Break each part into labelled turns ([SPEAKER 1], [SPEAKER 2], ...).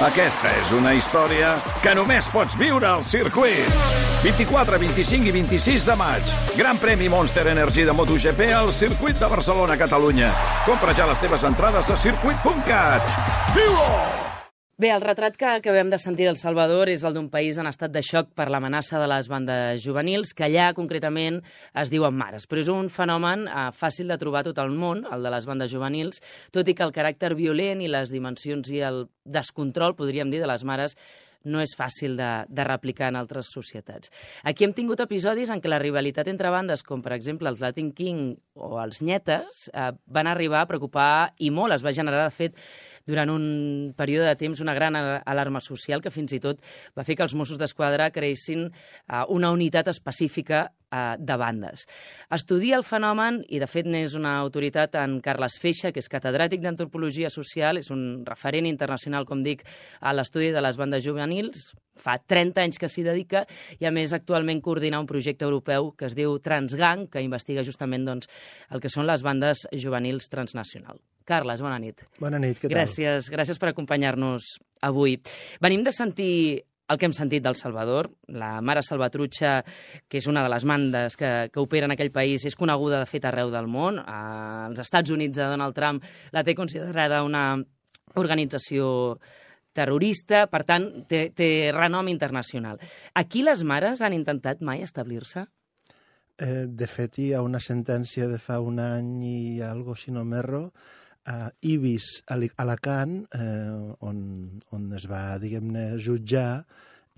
[SPEAKER 1] Aquesta és una història que només pots viure al circuit. 24, 25 i 26 de maig. Gran premi Monster Energy de MotoGP al circuit de Barcelona, Catalunya. Compra ja les teves entrades a circuit.cat. Viu-ho!
[SPEAKER 2] Bé, el retrat que acabem de sentir del Salvador és el d'un país en estat de xoc per l'amenaça de les bandes juvenils, que allà concretament es diuen mares. Però és un fenomen fàcil de trobar a tot el món, el de les bandes juvenils, tot i que el caràcter violent i les dimensions i el descontrol, podríem dir, de les mares no és fàcil de replicar en altres societats. Aquí hem tingut episodis en què la rivalitat entre bandes, com per exemple els Latin King o els Nyetes, van arribar a preocupar i molt. Es va generar, de fet, durant un període de temps una gran alarma social que fins i tot va fer que els Mossos d'Esquadra creessin una unitat específica de bandes. Estudia el fenomen i, de fet, n'és una autoritat en Carles Feixa, que és catedràtic d'Antropologia Social, és un referent internacional, com dic, a l'estudi de les bandes juvenils. Fa 30 anys que s'hi dedica i, a més, actualment coordina un projecte europeu que es diu Transgang, que investiga justament el que són les bandes juvenils transnacionals. Carles, bona nit.
[SPEAKER 3] Bona nit, què tal?
[SPEAKER 2] Gràcies per acompanyar-nos avui. Venim de sentir el que hem sentit del Salvador. La Mare Salvatrucha, que és una de les bandes que opera en aquell país, és coneguda, de fet, arreu del món. Als Estats Units de Donald Trump la té considerada una organització terrorista, per tant, té renom internacional. Aquí les mares han intentat mai establir-se?
[SPEAKER 3] De fet, hi ha una sentència de fa un any i algo, si no m'erro, a Ibis, a Alacant, on es va, diguem-ne, jutjar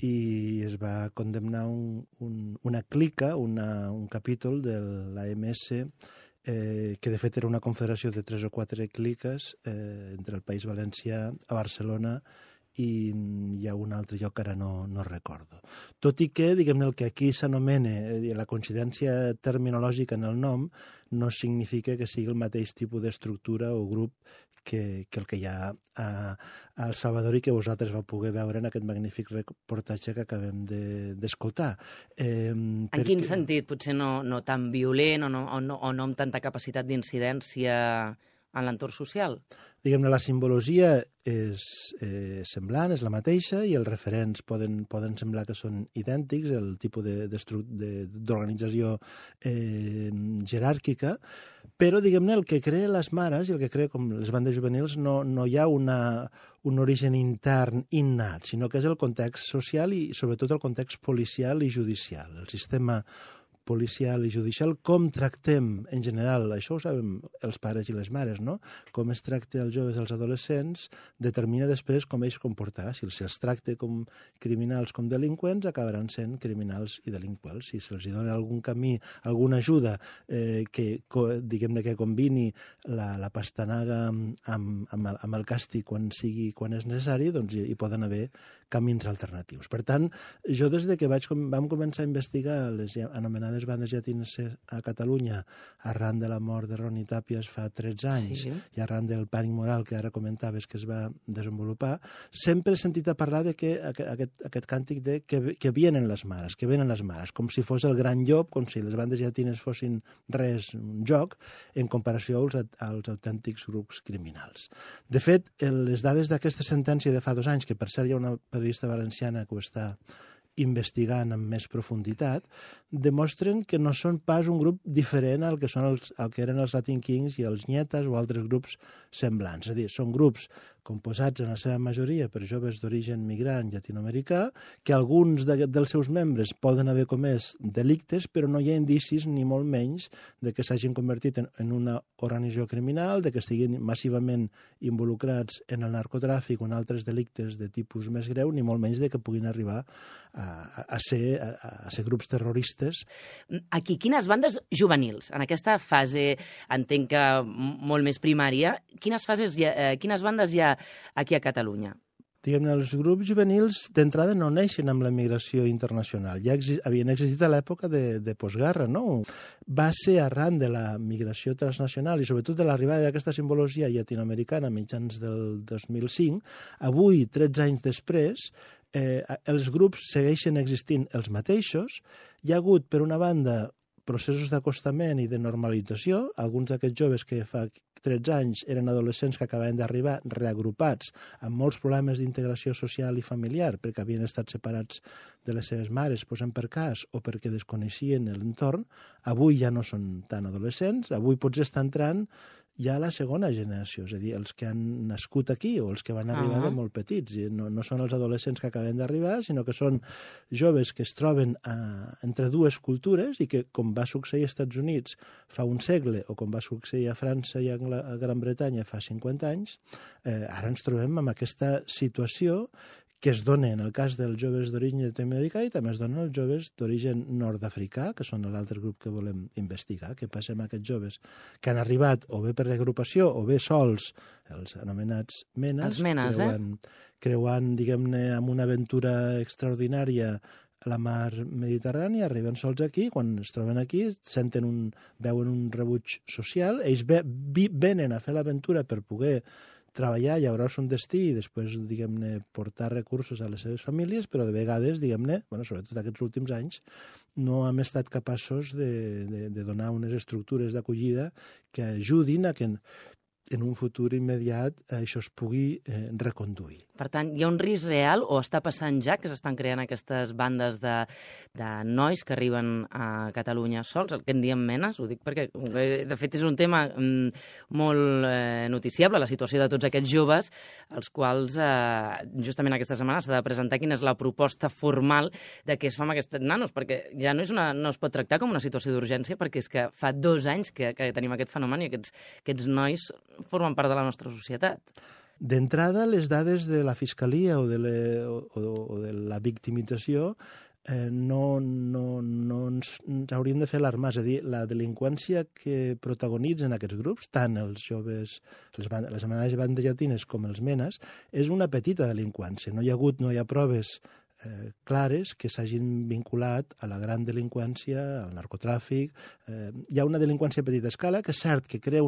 [SPEAKER 3] i es va condemnar una clica, un capítol de l'AMS, que de fet era una confederació de 3 o 4 cliques entre el País Valencià, a Barcelona, i hi ha un altre lloc que ara no recordo. Tot i que, diguem-ne, el que aquí s'anomena la coincidència terminològica en el nom no significa que sigui el mateix tipus d'estructura o grup que el que hi ha a El Salvador i que vosaltres vau poder veure en aquest magnífic reportatge que acabem d'escoltar.
[SPEAKER 2] En quin sentit? Potser no tan violent o no amb tanta capacitat d'incidència en l'entorn social?
[SPEAKER 3] Diguem-ne, la simbologia és semblant, és la mateixa, i els referents poden semblar que són idèntics, el tipus d'organització jeràrquica, però, diguem-ne, el que crea les mares i el que crea com les bandes juvenils no hi ha un origen intern innat, sinó que és el context social i, sobretot, el context policial i judicial. El sistema policial i judicial, com tractem en general, això ho sabem els pares i les mares, no? Com es tracta els joves i els adolescents determina després com ells comportarà. Si els tracta com criminals, com delinqüents, acabaran sent criminals i delinqüents. Si se'ls dona algun camí, alguna ajuda diguem-ne, que combini la pastanaga amb el càstig quan és necessari, doncs hi poden haver camins alternatius. Per tant, jo des de que vam començar a investigar les anomenades bandes llatines a Catalunya arran de la mort de Ronnie Tàpies fa 13 anys i arran del pànic moral que ara comentaves que es va desenvolupar, sempre he sentit a parlar de que aquest càntic de que vienen les mares, com si fos el gran llop, com si les bandes llatines fossin res, un joc, en comparació als autèntics grups criminals. De fet, les dades d'aquesta sentència de fa 2 anys, que per cert hi ha una periodista valenciana que ho està investigant amb més profunditat, demostren que no són pas un grup diferent al que eren els Latin Kings i els Nyetes o altres grups semblants. És a dir, són grups composats en la seva majoria per joves d'origen migrant llatinoamericà, que alguns dels seus membres poden haver comès delictes, però no hi ha indicis, ni molt menys, de que s'hagin convertit en una organització criminal, de que estiguin massivament involucrats en el narcotràfic o en altres delictes de tipus més greu, ni molt menys de que puguin arribar a ser grups terroristes.
[SPEAKER 2] Aquí, quines bandes juvenils? En aquesta fase, entenc que molt més primària, quines bandes hi ha aquí a Catalunya?
[SPEAKER 3] Diguem-ne, els grups juvenils d'entrada no neixen amb la migració internacional. Ja havien existit a l'època de postguerra, no? Va ser arran de la migració transnacional i sobretot de l'arribada d'aquesta simbologia llatinoamericana a mitjans del 2005. Avui, 13 anys després, els grups segueixen existint els mateixos. Hi ha hagut, per una banda, processos d'acostament i de normalització. Alguns d'aquests joves que fa 13 anys eren adolescents que acabaven d'arribar reagrupats amb molts problemes d'integració social i familiar perquè havien estat separats de les seves mares, posem per cas, o perquè desconeixien l'entorn, avui ja no són tan adolescents, avui potser està entrant ja la segona generació, és a dir, els que han nascut aquí o els que van arribar de molt petits. No són els adolescents que acaben d'arribar, sinó que són joves que es troben entre dues cultures i que, com va succeir als Estats Units fa un segle o com va succeir a França i a Gran Bretanya fa 50 anys, ara ens trobem amb aquesta situació que es dona en el cas dels joves d'origen llatinoamericà i també es dona als joves d'origen nord-africà, que són l'altre grup que volem investigar. Què passa amb aquests joves que han arribat o bé per agrupació o bé sols, els anomenats menes, creuant, diguem-ne, amb una aventura extraordinària a la mar Mediterrània, arriben sols aquí, quan es troben aquí veuen un rebuig social, ells venen a fer l'aventura per poder treballar, llaurar-se un destí i després, diguem-ne, portar recursos a les seves famílies, però de vegades, diguem-ne, sobretot aquests últims anys, no hem estat capaços de donar unes estructures d'acollida que ajudin a que en un futur immediat això es pugui reconduir.
[SPEAKER 2] Per tant, hi ha un risc real o està passant ja que s'estan creant aquestes bandes de nois que arriben a Catalunya sols, el que en diem menes, ho dic perquè, de fet, és un tema molt noticiable, la situació de tots aquests joves, els quals justament aquesta setmana s'ha de presentar quina és la proposta formal de què es fa amb aquests nanos, perquè ja no es pot tractar com una situació d'urgència, perquè és que fa 2 anys que tenim aquest fenomen i aquests nois formen part de la nostra societat.
[SPEAKER 3] D'entrada, les dades de la Fiscalia o de la victimització no ens haurien de fer alarmar. És a dir, la delinqüència que protagonitzen aquests grups, tant els joves, les anomenades bandes llatines com els menes, és una petita delinqüència. No hi ha proves clares que s'hagin vinculat a la gran delinqüència, al narcotràfic. Hi ha una delinqüència a petita escala que és cert que crea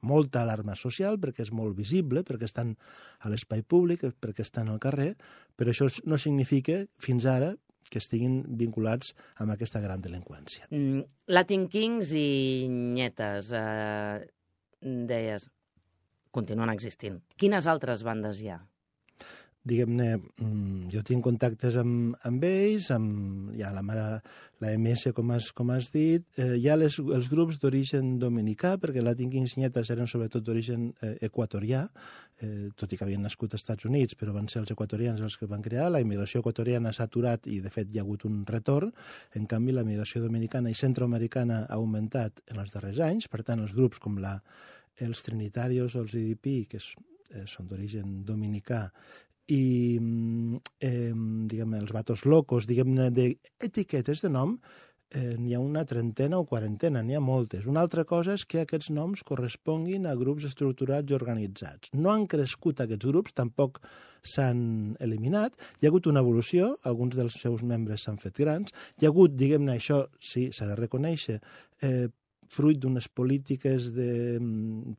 [SPEAKER 3] molta alarma social perquè és molt visible, perquè estan a l'espai públic, perquè estan al carrer, però això no significa, fins ara, que estiguin vinculats amb aquesta gran delinqüència.
[SPEAKER 2] Latin Kings i Nyetes, deies, continuen existint. Quines altres bandes hi ha?
[SPEAKER 3] Diguem-ne, jo tinc contactes amb ells, hi ha la MS, com has dit, hi ha els grups d'origen dominicà, perquè Latin Kings i Nyetes eren sobretot d'origen equatorià, tot i que havien nascut als Estats Units, però van ser els equatorians els que van crear. La immigració equatoriana s'ha aturat i, de fet, hi ha hagut un retorn. En canvi, la immigració dominicana i centroamericana ha augmentat en els darrers anys. Per tant, els grups com els Trinitarios o els IDP, que són d'origen dominicà, i diguem-ne els Vatos Locos, diguem-ne d'etiquetes de nom, n'hi ha una trentena o quarantena, n'hi ha moltes. Una altra cosa és que aquests noms corresponguin a grups estructurats i organitzats. No han crescut aquests grups, tampoc s'han eliminat. Hi ha hagut una evolució, alguns dels seus membres s'han fet grans. Hi ha hagut, diguem-ne, això sí, s'ha de reconèixer, fruit d'unes polítiques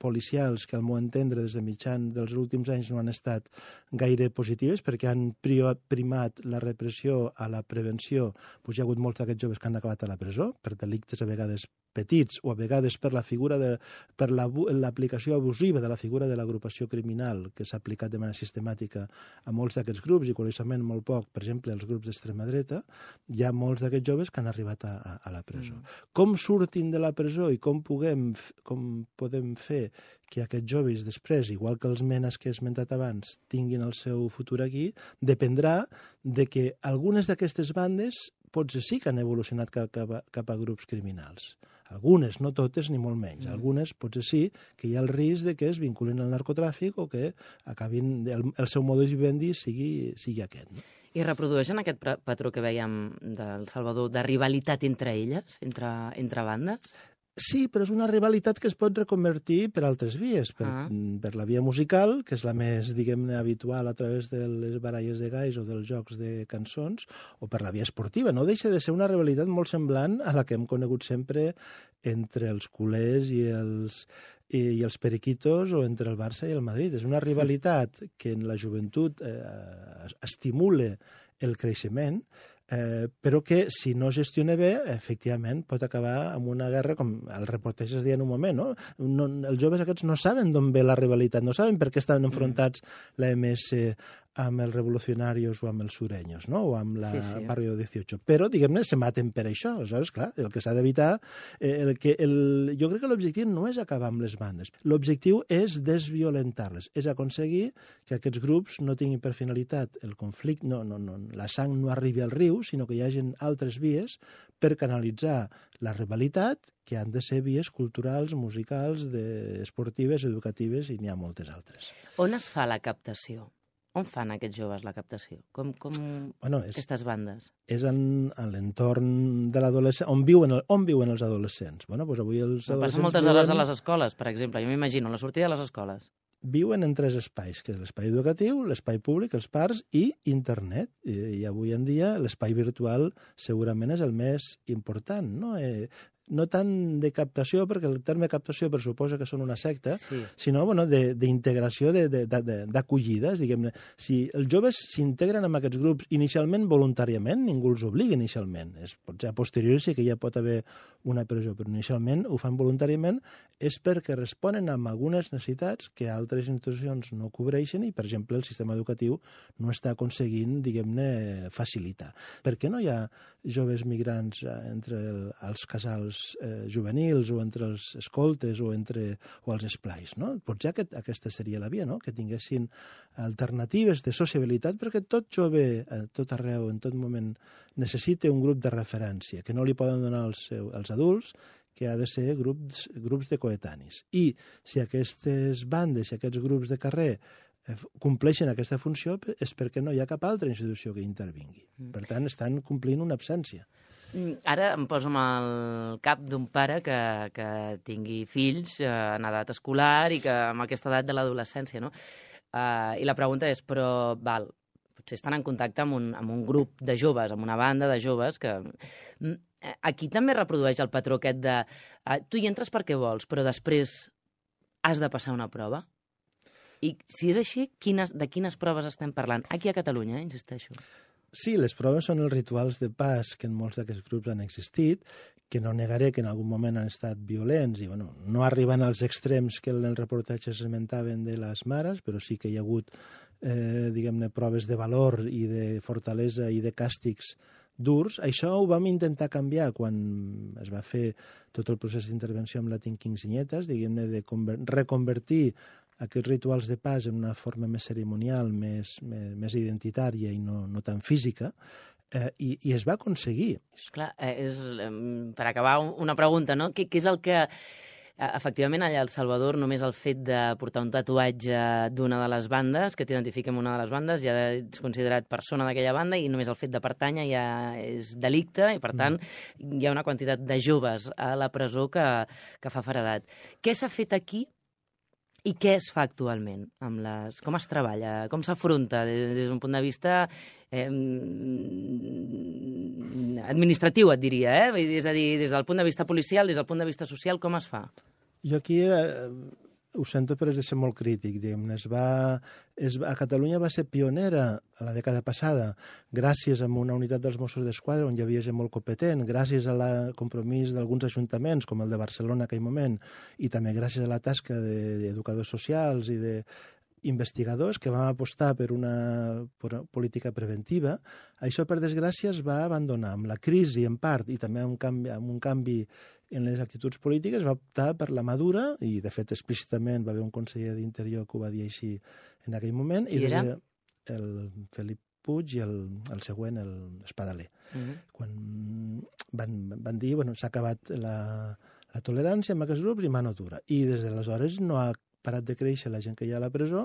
[SPEAKER 3] policials que, al meu entendre, des de mitjan dels últims anys no han estat gaire positives perquè han primat la repressió a la prevenció. Hi ha hagut molts d'aquests joves que han acabat a la presó per delictes a vegades petits o a vegades per l'aplicació abusiva de la figura de l'agrupació criminal que s'ha aplicat de manera sistemàtica a molts d'aquests grups i, curiosament, molt poc, per exemple, els grups d'extrema dreta. Hi ha molts d'aquests joves que han arribat a la presó. Com surtin de la presó i com podem fer que aquests joves després, igual que els menes que he esmentat abans, tinguin el seu futur aquí, dependrà de que algunes d'aquestes bandes potser sí que han evolucionat cap a grups criminals. Algunes, no totes ni molt menys. Algunes potser sí que hi ha el risc de que es vinculin al narcotràfic o que acabin el seu modus vivendi sigui aquest. No?
[SPEAKER 2] I reprodueixen aquest patró que veiem del Salvador de rivalitat entre elles, entre bandes?
[SPEAKER 3] Sí, però és una rivalitat que es pot reconvertir per altres vies, per la via musical, que és la més, diguem-ne, habitual a través de les baralles de galls o dels jocs de cançons, o per la via esportiva. No deixa de ser una rivalitat molt semblant a la que hem conegut sempre entre els culers i i els periquitos o entre el Barça i el Madrid. És una rivalitat que en la joventut estimula el creixement, però que, si no es gestiona bé, efectivament, pot acabar amb una guerra, com el reportatge es deia en un moment, no? Els joves aquests no saben d'on ve la rivalitat, no saben per què estan enfrontats la MS amb els revolucionarios o amb els sureños, no? O amb la Barrio 18. Però, diguem-ne, se maten per això. Aleshores, clar, el que s'ha d'evitar... Jo crec que l'objectiu no és acabar amb les bandes. L'objectiu és desviolentar-les, és aconseguir que aquests grups no tinguin per finalitat el conflicte, la sang no arribi al riu, sinó que hi hagi altres vies per canalitzar la rivalitat, que han de ser vies culturals, musicals, esportives, educatives, i n'hi ha moltes altres.
[SPEAKER 2] On es fa la captació? On fan aquests joves la captació? Com aquestes bandes?
[SPEAKER 3] És en l'entorn de l'adolescent. On viuen els adolescents? Bueno, doncs avui els adolescents
[SPEAKER 2] passen moltes hores a les escoles, per exemple. Jo m'imagino, la sortida de les escoles.
[SPEAKER 3] Viuen en 3 espais, que és l'espai educatiu, l'espai públic, els parcs i internet. I avui en dia l'espai virtual segurament és el més important, no? No tant de captació, perquè el terme captació pressuposa que són una secta, sinó d'integració, d'acollides, diguem-ne. Si els joves s'integren en aquests grups inicialment voluntàriament, ningú els obliga inicialment. Potser a posteriori sí que ja pot haver una pressió, però inicialment ho fan voluntàriament, és perquè responen a algunes necessitats que altres institucions no cobreixen i, per exemple, el sistema educatiu no està aconseguint, diguem-ne, facilitar. Per què no hi ha joves migrants entre els casals juvenils o entre els escoltes o els esplais, no? Potser aquesta seria la via, no? Que tinguessin alternatives de sociabilitat, perquè tot jove, tot arreu, en tot moment, necessita un grup de referència que no li poden donar els adults, que ha de ser grups de coetanis. I si aquestes bandes, si aquests grups de carrer compleixen aquesta funció, és perquè no hi ha cap altra institució que intervingui. Per tant, estan complint una absència.
[SPEAKER 2] Ara em poso amb el cap d'un pare que tingui fills en edat escolar i que amb aquesta edat de l'adolescència, no? I la pregunta és, però, potser estan en contacte amb un grup de joves, amb una banda de joves que... Aquí també reprodueix el patró aquest de tu hi entres perquè vols, però després has de passar una prova? I si és així, de quines proves estem parlant? Aquí a Catalunya, insisteixo.
[SPEAKER 3] Sí, les proves són els rituals de pas que en molts d'aquests grups han existit, que no negaré que en algun moment han estat violents i no arriben als extrems que en el reportatge s'esmentaven de les mares, però sí que hi ha hagut, diguem-ne, proves de valor i de fortalesa i de càstigs durs. Això ho vam intentar canviar quan es va fer tot el procés d'intervenció amb la Quinceñetes, diguem-ne, de reconvertir aquests rituals de pas en una forma més cerimonial, més identitària i no tan física, i es va aconseguir.
[SPEAKER 2] Clar, per acabar, una pregunta, no? Què és el que... Efectivament, allà a El Salvador, només el fet de portar un tatuatge d'una de les bandes, que t'identifica amb una de les bandes, ja ets considerat persona d'aquella banda i només el fet de pertànyer ja és delicte i, per tant, hi ha una quantitat de joves a la presó que fa feredat. Què s'ha fet aquí i què es fa actualment? Com es treballa? Com s'afronta des d'un punt de vista administratiu, et diria, És a dir, des del punt de vista policial, des del punt de vista social, com es fa?
[SPEAKER 3] Jo aquí ho sento, però és de ser molt crític, diguem-ne. A Catalunya va ser pionera a la dècada passada, gràcies a una unitat dels Mossos d'Esquadra on hi havia gent molt competent, gràcies al compromís d'alguns ajuntaments, com el de Barcelona en aquell moment, i també gràcies a la tasca d'educadors socials i d'investigadors que vam apostar per una política preventiva. Això, per desgràcia, es va abandonar. Amb la crisi, en part, i també amb un canvi en les actituds polítiques, va optar per la mà dura, i de fet explícitament va haver un conseller d'Interior que ho va dir així en aquell moment, i des el Felip Puig i el següent, l'Espadaler. Quan van dir, s'ha acabat la tolerància amb aquests grups i mano dura. I des d'aleshores no ha parat de créixer la gent que hi ha a la presó,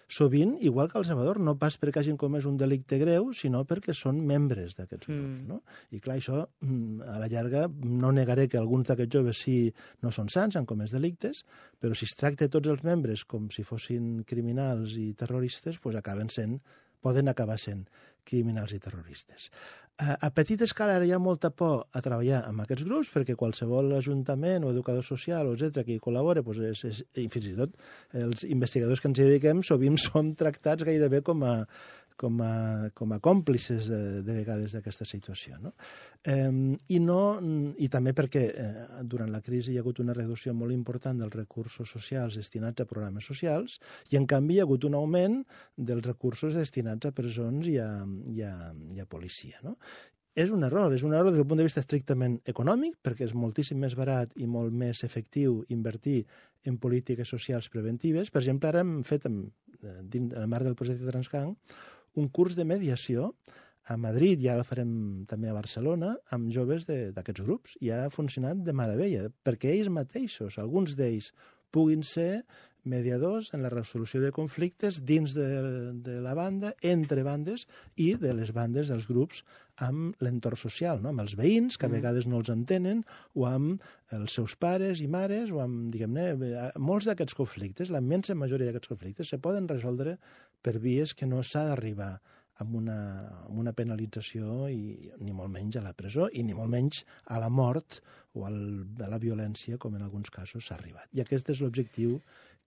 [SPEAKER 3] sovint, igual que a El Salvador, no pas perquè hagin comès un delicte greu, sinó perquè són membres d'aquests grups, no? I clar, això, a la llarga, no negaré que alguns d'aquests joves no són sants, han comès delictes, però si es tracta tots els membres com si fossin criminals i terroristes, poden acabar sent criminals i terroristes. A petita escala ara hi ha molta por a treballar amb aquests grups perquè qualsevol ajuntament o educador social o etcètera que hi col·labora, i fins i tot els investigadors que ens hi dediquem sovint som tractats gairebé com a còmplices de vegades d'aquesta situació. No? I també perquè durant la crisi hi ha hagut una reducció molt important dels recursos socials destinats a programes socials i, en canvi, hi ha hagut un augment dels recursos destinats a presons i a policia. No? És un error des del punt de vista estrictament econòmic, perquè és moltíssim més barat i molt més efectiu invertir en polítiques socials preventives. Per exemple, ara hem fet, en el marc del projecte Transgang, un curs de mediació a Madrid, i ara el farem també a Barcelona, amb joves d'aquests grups, i ha funcionat de meravella, perquè ells mateixos, alguns d'ells, puguin ser mediadors en la resolució de conflictes dins de la banda, entre bandes i de les bandes dels grups amb l'entorn social, no? Amb els veïns, que a vegades no els entenen, o amb els seus pares i mares, o amb, diguem-ne, molts d'aquests conflictes, la immensa majoria d'aquests conflictes, se poden resoldre per vies que no s'ha d'arribar amb una penalització i ni molt menys a la presó i ni molt menys a la mort o a la violència, com en alguns casos s'ha arribat. I aquest és l'objectiu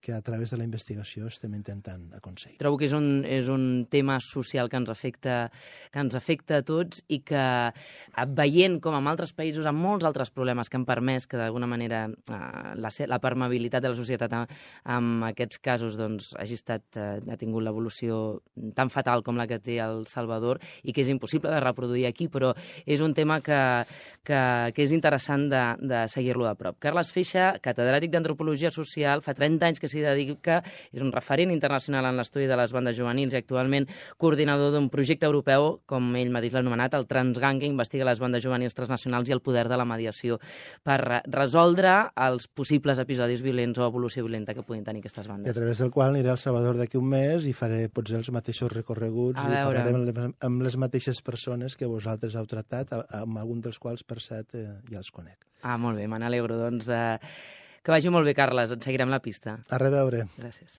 [SPEAKER 3] que a través de la investigació estem intentant aconseguir.
[SPEAKER 2] Trobo que és un tema social que ens afecta a tots i que, veient com en altres països, amb molts altres problemes que han permès que d'alguna manera la permeabilitat de la societat en aquests casos ha tingut l'evolució tan fatal com la que té El Salvador i que és impossible de reproduir aquí, però és un tema que és interessant de seguir-lo de prop. Carles Feixa, catedràtic d'Antropologia Social, fa 30 anys que s'hi dedica, és un referent internacional en l'estudi de les bandes juvenils i actualment coordinador d'un projecte europeu, com ell mateix l'ha anomenat, el Transgang, que investiga les bandes juvenils transnacionals i el poder de la mediació per resoldre els possibles episodis violents o evolució violenta que puguin tenir aquestes bandes.
[SPEAKER 3] I a través del qual aniré a El Salvador d'aquí un mes i faré potser els mateixos recorreguts i parlarem amb les mateixes persones que vosaltres heu tractat, amb algun dels quals, per cert, ja els conec.
[SPEAKER 2] Molt bé, me n'alegro. Doncs que vagi molt bé, Carles. Et seguirem la pista.
[SPEAKER 3] A reveure.
[SPEAKER 2] Gràcies.